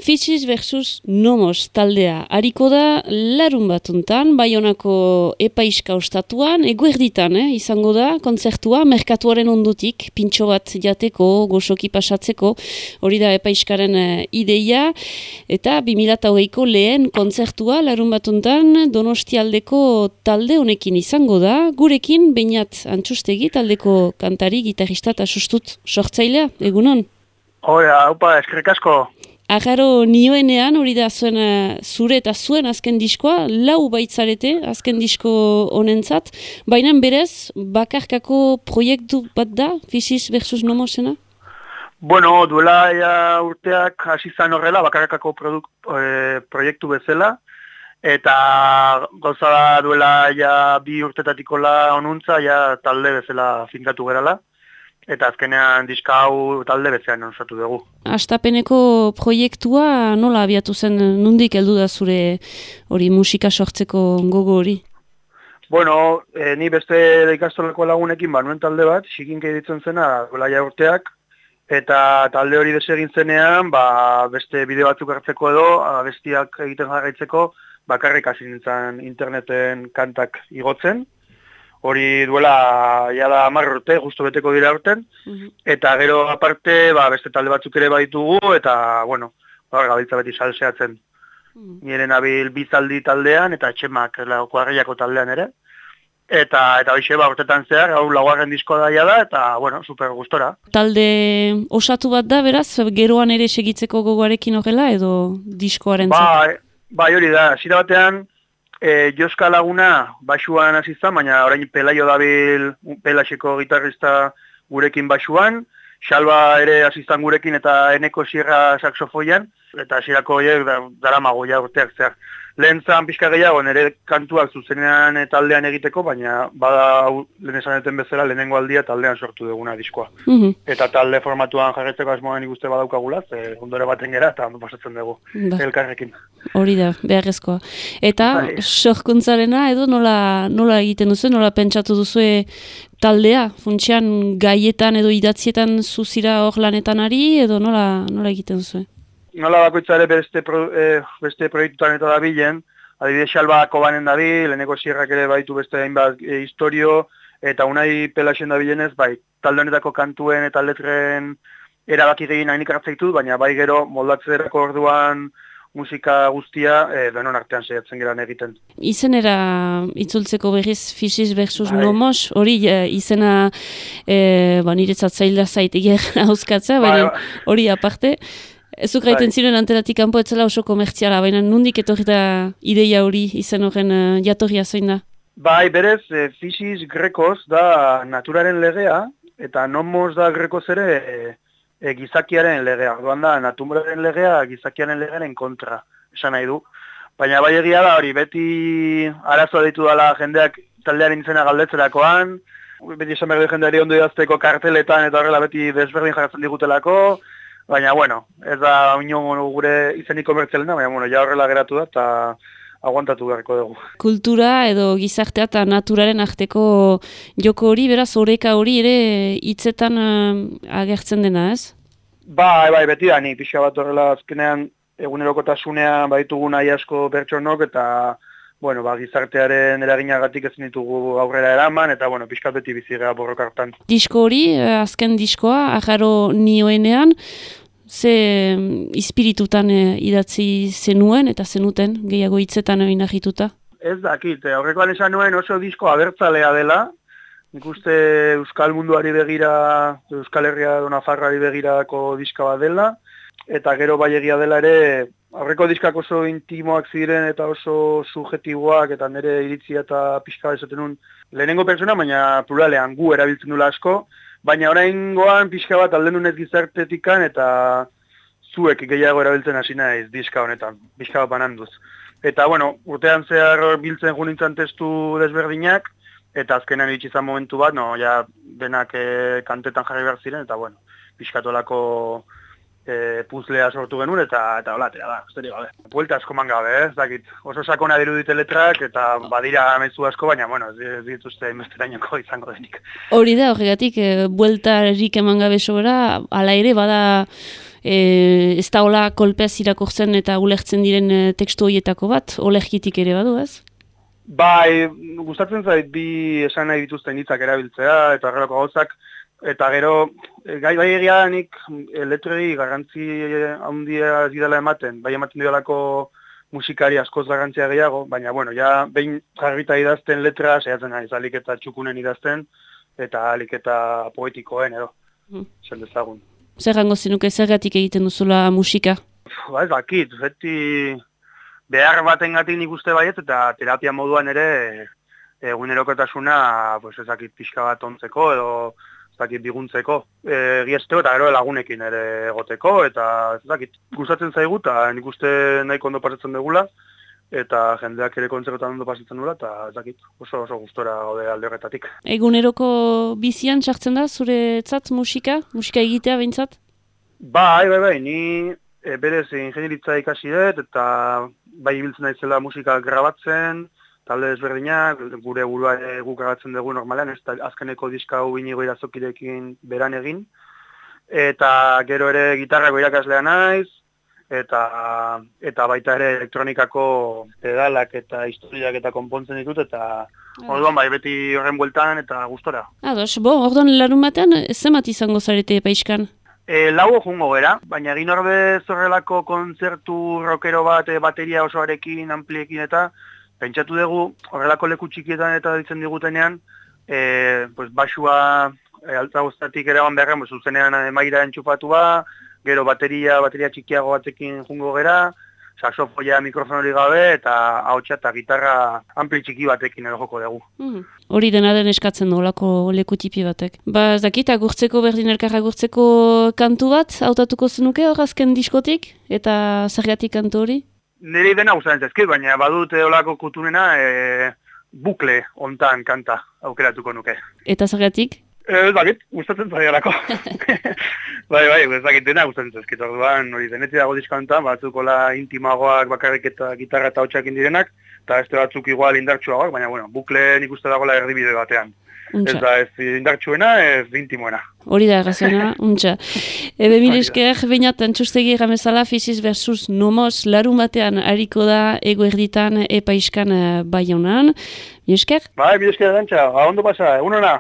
Fisis versus Nomos taldea. Hariko da larun batuntan, Baionako Epaiska ostatuan, eguerditan, izango da, kontzertua, merkatuaren ondutik, pintxo bat jateko, goxoki pasatzeko, hori da Epaiskaren ideia, eta 2008ko lehen kontzertua larun batuntan Donostialdeko talde honekin izango da, gurekin Beñat Antxustegi, taldeko kantari, gitarrista eta sustut sortzailea, egunon? Hora, haupa, eskerrik asko. Agaro nioenean, hori da zure eta zuen azken diskoa, lau baitzarete azken disko honentzat, baina berez, bakarkako proiektu bat da, Fisis versus Nomosena? Bueno, duela urteak hasi zan horrela, bakarkako proiektu bezala, eta gauza da duela 2 urtetatikola onuntza, talde bezala finkatu gerala. Eta azkenean diska hau talde bezean osatu dugu. Hastapeneko proiektua nola abiatu zen, nondik heldu da zure hori musika sortzeko gogo hori? Bueno, ni beste ikastolako lagunekin nuen talde bat, Xikinke ditzen zena, duela urteak, eta talde hori desegin zenean, beste bideo batzuk hartzeko edo, bestiak egiten jarraitzeko, bakarrik hasi nintzen interneten kantak igotzen. Hori duela da 10 urte, justu beteko dira urten, eta gero aparte beste talde batzuk ere baditugu, eta, bueno, gabiltza beti salseatzen. Nire nabil Bizaldi taldean, eta Etxemak, Kuarriako taldean ere. Eta hoxe, urtetan zehar, hau laugarren diskoa da, eta, bueno, super gustora. Talde osatu bat da, beraz, geroan ere segitzeko gogoarekin horrela, edo diskoaren zat? Bai, hori da, zira batean, Joska Laguna basuan hasi zen, baina orain Pelaio dabil Pelaseko gitarrista gurekin basuan, Xalba ere hasi zen gurekin eta Eneko Sierra saxofoian, eta hasierako horiek daramago urteak zehar. Lehen zan pixka gehiago nire kantuak zuzenean taldean egiteko, baina bada lehen esaneten bezala lehenengo aldia taldean sortu duguna diskoa. Eta talde formatuan jarretzeko asmoan ikuste badaukagula, ondore baten gera eta ondo pasatzen dugu elkarrekin. Hori da, beharrezkoa. Eta sorkuntzarena edo nola egiten duzu, nola pentsatu duzu taldea? Funtsean gaietan edo idatzietan zuzira hor lanetan ari edo nola egiten duzu? Nola bakoitzare beste proiektutan eta dabilen, adibidez Xalba Kobanen dabil, Eneko Sierrak ere baitu beste hainbat historio, eta Unai Pelasen dabilenez, talde honetako kantuen eta letren erabaki egin hainik hartzaitu, baina bai gero moldatzerako orduan musika guztia denon artean saiatzen geran egiten. Izenera itzultzeko berriz Fisis versus Nomos, hori izena niretzat zaila zaitegier hauskatza, baina hori aparte. Ezuk gaiten ziren anteratik kanpo etzela oso komertziala, baina nondik etorri da ideia hori izen horren jatorria zein da? Bai, berez, Fisis grekoz da naturaren legea, eta Nomos da grekoz ere gizakiaren legea. Orduan da, naturaren legea gizakiaren legearen kontra, esan nahi du. Baina bai egia da hori, beti arazoa ditu dela jendeak taldearen izena galdetzerakoan, beti esan behar du jendeari ondo idazteko karteletan eta horrela beti desberdin jarratzen digutelako, baina, bueno, ez da gure izenik komertzialena, baina, ja horrela geratu da eta aguantatu beharko dugu. Kultura edo gizartea eta naturaren arteko joko hori, beraz, oreka hori ere hitzetan agertzen dena, ez? Bai, beti da, ni pixka bat horrela azkenean egunerokotasunean baditugu nahi asko pertsonok eta bueno, gizartearen eraginagatik ezin ditugu aurrera eraman, eta bueno, pixkat beti bizigea borroka hartan. Disko hori, azken diskoa, Agaro nioenean, ze ispiritutan idatzi zenuen eta zenuten, gehiago hitzetan oinarrituta? Ez dakit, aurrekoan esan nuen oso disko abertzalea dela, nik uste Euskal Munduari begira, Euskal Herria Nafarroari begirako diska bat dela, eta gero bai egia dela ere, aurreko diskak oso intimoak ziren eta oso subjetiboak eta nire iritzia eta pixka esaten nun lehenengo pertsona, baina pluralean gu erabiltzen dula asko, baina oraingoan pixka bat alde nunez gizartetikan eta zuek gehiago erabiltzen hasi naiz diska honetan, pixka bat bananduz. Eta bueno, urtean zehar biltzen junintzen testu desberdinak, eta azkenean iritsi izan momentu bat, denak kantetan jarri behar ziren, eta bueno, pixkatolako puzlea sortu genuen, eta hola, atera da, usteri gabe. Buelta asko man gabe, ez dakit. Oso sakona dirudite letrak, eta badira mezu asko, baina, bueno, ez dituzte inbesterainoko izango denik. Hori da, horregatik, bueltarik eman gabe sobera, ala ere, bada Ez da hola kolpez irakurtzen eta ulertzen diren tekstu horietako bat, olerkitik ere badu, ez? Bai, gustatzen zait bi esan nahi dituzten hitzak erabiltzea eta horrelako gauzak, eta gero, bai egia nik letrei garrantzi handia ez didala ematen, bai ematen didalako musikari askoz garrantzia gehiago, baina, bueno, ja, behin jarrita idazten letra, saiatzen naiz, alik eta txukunen idazten, eta alik eta poetikoen, edo, zen dezagun. Zer gango zenuke, zergatik egiten duzula musika? Ba, ez dakit, beti behar batengatik nik uste baiet, eta terapia moduan ere egunerokotasuna, pues, ez dakit pixka bat ontzeko, edo ez dakit biguntzeko, giesteo eta gero lagunekin ere egoteko, eta ez dakit gustatzen zaigu, eta nik uste nahiko ondo pasatzen dugula, eta jendeak ere kontzertan ondo pasatzen dugula, eta ez dakit oso gustora gaude alde horretatik. Eguneroko bizian sartzen da zuretzat musika egitea behintzat? Bai, ni berez ingenieritza ikasi dut, eta bai ibiltzen naizela musika grabatzen, talde ezberdinak, gure burua guk grabatzen dugu normalean, ez azkeneko diska hau Inigo Irazokirekin beran egin, eta gero ere gitarrako irakaslea naiz, eta baita ere elektronikako pedalak eta historiak eta konpontzen ditut, eta orduan bai beti horren bueltan eta gustora. Ados, orduan larun batean, zenbat izango zarete Epaiskan? Lau jungo gera, baina egin ordez horrelako kontzertu rockero bat bateria osoarekin, ampliekin eta pentsatu dugu horrelako leku txikietan eta ditzen digutenean, basua altzagostatik ere egon beharren, zuzenean maira entxupatua, gero bateria txikiago batekin jungo gera, saxofoia mikrofonori gabe eta ahotsa eta gitarra ampli txiki batekin edo joko dugu. Hori dena den eskatzen nolako leku tipi batek. Ba, ez dakit, agurtzeko berdin elkarra agurtzeko kantu bat, hautatuko zenuke hor azken diskotik, eta zergatik kantu hori? Nire dena gustatzen zaizkit, baina badut olako kutunena bukle hontan kanta aukeratuko nuke. Eta zergatik? Ez dakit, gustatzen zaialako. Bai, ez dakit dena gustatzen zaizkit, orduan hori denetzi dago diska hontan, batzukola intimagoak bakarrik eta gitarra eta hotxakin direnak, eta beste batzuk igual indartsuagoak, baina bueno, bukle nik uste dagoela erdibide batean. Untxa. Ez da ez indartsuena, ez intimoena. Hori da erraziona, untxa. Ebe mil esker, bainat antxustegi erramezala Physis versus Nomos larun batean hariko da eguerditan Epaiskan Baionan. Mil esker? Bai, mil esker dantxa, ondo pasa, egunona.